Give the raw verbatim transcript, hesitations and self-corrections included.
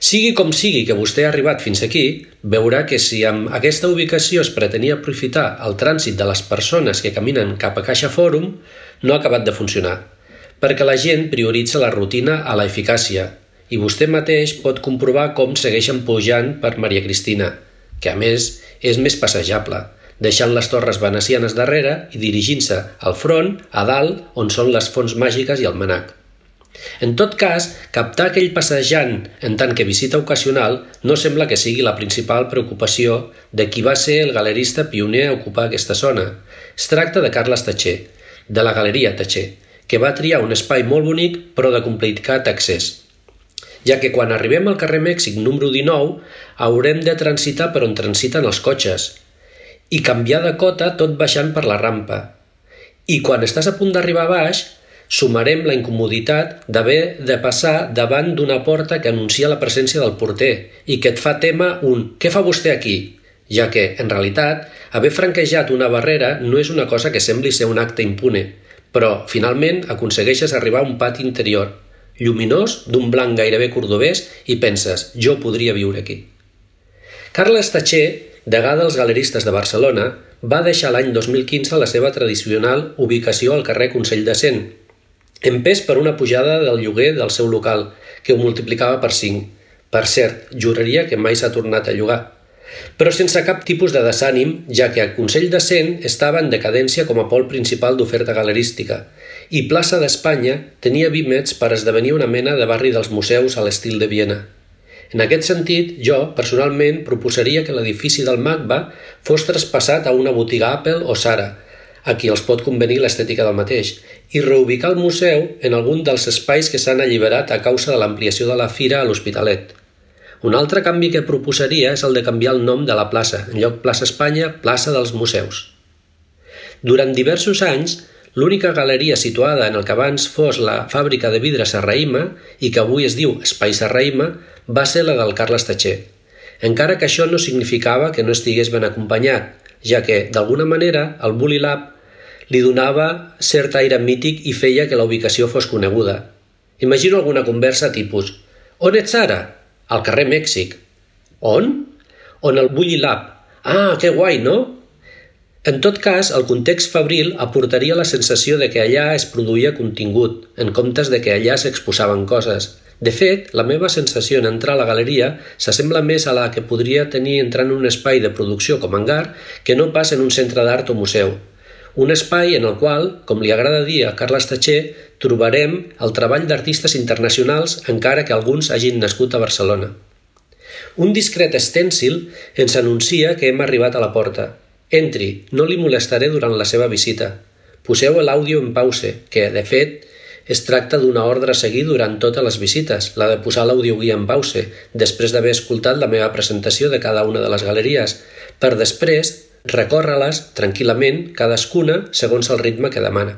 Sigui com sigui que vostè ha arribat fins aquí, veurà que si amb aquesta ubicació es pretenia aprofitar el trànsit de les persones que caminen cap a Caixa Fòrum, no ha acabat de funcionar, perquè la gent prioritza la rutina a la eficàcia, i vostè mateix pot comprovar com segueixen pujant per Maria Cristina, que a més és més passejable, deixant les torres venecianes darrere i dirigint-se al front, a dalt, on són les fonts màgiques i el manac. En tot cas, captar aquell passejant en tant que visita ocasional no sembla que sigui la principal preocupació de qui va ser el galerista pioner a ocupar aquesta zona. Es tracta de Carles Tatxer, de la Galeria Tatxer, que va triar un espai molt bonic però de complicat accés, ja que quan arribem al carrer Mèxic número dinou haurem de transitar per on transiten els cotxes i canviar de cota tot baixant per la rampa. I quan estàs a punt d'arribar a baix, sumarem la incomoditat d'haver de passar davant d'una porta que anuncia la presència del porter i que et fa tema un «Què fa vostè aquí?», ja que, en realitat, haver franquejat una barrera no és una cosa que sembli ser un acte impune, però, finalment, aconsegueixes arribar a un pati interior, lluminós, d'un blanc gairebé cordobès, i penses «Jo podria viure aquí». Carles Tatxer, degà dels galeristes de Barcelona, va deixar l'any dos mil quinze la seva tradicional ubicació al carrer Consell de Cent, empès per una pujada del lloguer del seu local, que ho multiplicava per cinc. Per cert, juraria que mai s'ha tornat a llogar. Però sense cap tipus de desànim, ja que el Consell de Cent estava en decadència com a pol principal d'oferta galerística, i Plaça d'Espanya tenia vímets per esdevenir una mena de barri dels museus a l'estil de Viena. En aquest sentit, jo, personalment, proposaria que l'edifici del MACBA fos traspassat a una botiga Apple o Zara, a qui els pot convenir l'estètica del mateix, i reubicar el museu en algun dels espais que s'han alliberat a causa de l'ampliació de la fira a l'Hospitalet. Un altre canvi que proposaria és el de canviar el nom de la plaça, en lloc Plaça Espanya, Plaça dels Museus. Durant diversos anys, l'única galeria situada en el que abans fos la fàbrica de vidre Serrahima i que avui es diu Espai Serrahima va ser la del Carles Tatxer, encara que això no significava que no estigués ben acompanyat, ja que, d'alguna manera, el Bully Lab li donava cert aire mític i feia que la ubicació fos coneguda. Imagino alguna conversa tipus «On ets ara?» «Al carrer Mèxic». «On?» «On el Bully Lab». «Ah, que guai, no?» En tot cas, el context fabril aportaria la sensació de que allà es produïa contingut, en comptes de que allà s'exposaven coses. De fet, la meva sensació en entrar a la galeria s'assembla més a la que podria tenir entrant en un espai de producció com hangar que no pas en un centre d'art o museu. Un espai en el qual, com li agrada dir a Carles Tatxer, trobarem el treball d'artistes internacionals encara que alguns hagin nascut a Barcelona. Un discret estèncil ens anuncia que hem arribat a la porta. Entri, no li molestaré durant la seva visita. Poseu l'àudio en pause, que, de fet, es tracta d'una ordre a seguir durant totes les visites, la de posar l'audioguia en pause, després d'haver escoltat la meva presentació de cada una de les galeries, per després recórrer-les tranquil·lament, cadascuna segons el ritme que demana.